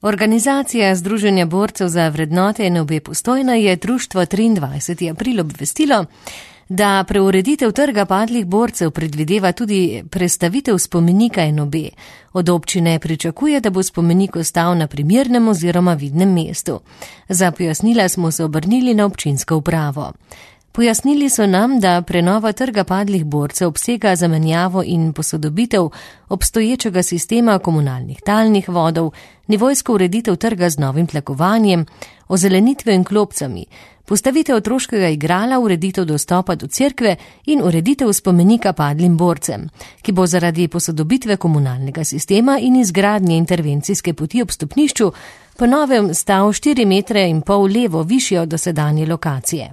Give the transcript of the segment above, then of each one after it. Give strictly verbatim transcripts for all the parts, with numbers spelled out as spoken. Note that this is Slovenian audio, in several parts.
Organizacija Združenja borcev za vrednote en obe Postojna je društvo triindvajseti april obvestilo, da preureditev trga padlih borcev predvideva tudi prestavitev spomenika en obe. Od občine pričakuje, da bo spomenik ostal na primernem oziroma vidnem mestu. Za pojasnila smo se obrnili na občinsko upravo. Pojasnili so nam, da prenova trga padlih borcev obsega zamenjavo in posodobitev obstoječega sistema komunalnih talnih vodov, nivojsko ureditev trga z novim tlakovanjem, ozelenitve in klopcami, postavitev otroškega igrala, ureditev dostopa do cerkve in ureditev spomenika padlim borcem, ki bo zaradi posodobitve komunalnega sistema in izgradnje intervencijske poti ob stopnišču po novem stal štiri metre in pol levo višje od dosedanje lokacije.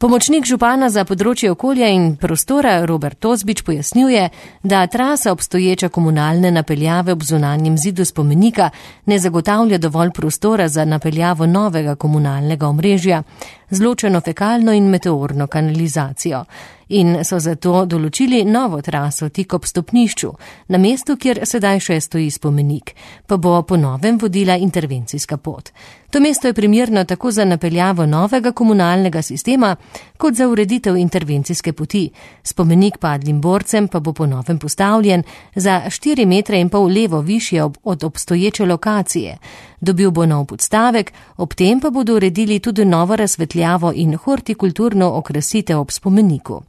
Pomočnik župana za področje okolja in prostora Robert Tozbič pojasnjuje, da trasa obstoječa komunalne napeljave ob zunanjem zidu spomenika ne zagotavlja dovolj prostora za napeljavo novega komunalnega omrežja z ločeno fekalno in meteorno kanalizacijo in so zato določili novo traso tik ob stopnišču, na mestu, kjer sedaj še stoji spomenik, pa bo po novem vodila intervencijska pot. To mesto je primerno tako za napeljavo novega komunalnega sistema, kot za ureditev intervencijske poti. Spomenik padlim borcem pa bo po novem postavljen za štiri metre in pol levo višje od obstoječe lokacije. Dobil bo nov podstavek, ob tem pa bodo uredili tudi novo razsvetljavo in hortikulturno okrasitev ob spomeniku.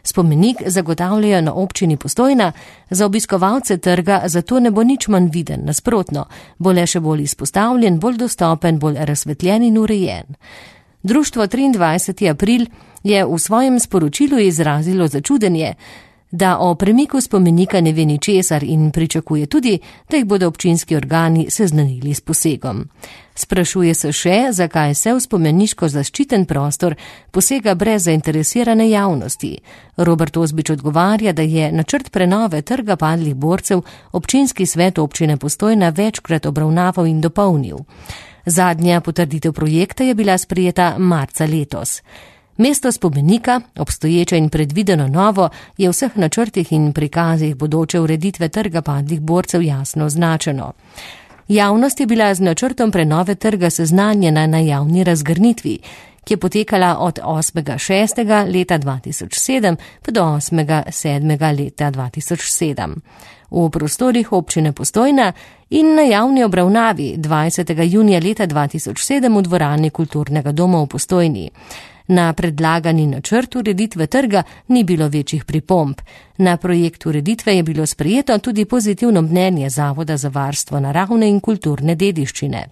Spomenik zagotavljajo na občini Postojna, za obiskovalce trga zato ne bo nič manj viden, nasprotno, bo le še bolj izpostavljen, bolj dostopen, bolj razsvetljen in urejen. Društvo triindvajseti april je v svojem sporočilu izrazilo začudenje, da o premiku spomenika ne ve ničesar in pričakuje tudi, da jih bodo občinski organi seznanili s posegom. Sprašuje se še, zakaj se v spomeniško zaščiten prostor posega brez zainteresirane javnosti. Robert Tozbič odgovarja, da je načrt prenove trga padlih borcev občinski svet občine Postojna večkrat obravnaval in dopolnil. Zadnja potrditev projekta je bila sprejeta marca letos. Mesto spomenika, obstoječe in predvideno novo, je v vseh načrtih in prikazih bodoče ureditve trga padlih borcev jasno označeno. Javnost je bila z načrtom prenove trga seznanjena na javni razgrnitvi, ki je potekala od osmega šestega leta dva tisoč sedem pa do osmega sedmega leta dva tisoč sedem. V prostorih občine Postojna in na javni obravnavi dvajsetega junija leta dva tisoč sedem v dvorani Kulturnega doma v Postojni. Na predlagani načrt ureditve trga ni bilo večjih pripomb. Na projekt ureditve je bilo sprejeto tudi pozitivno mnenje Zavoda za varstvo naravne in kulturne dediščine.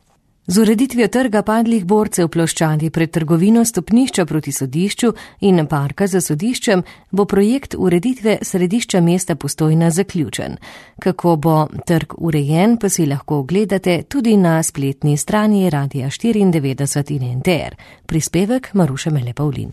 Z ureditvijo trga padlih borcev ploščadi pred trgovino stopnišča proti sodišču in parka za sodiščem bo projekt ureditve središča mesta Postojna zaključen. Kako bo trg urejen, pa si lahko ogledate tudi na spletni strani Radia štiriindevetdeset in N T R. Prispevek Maruše Mele Pavlin.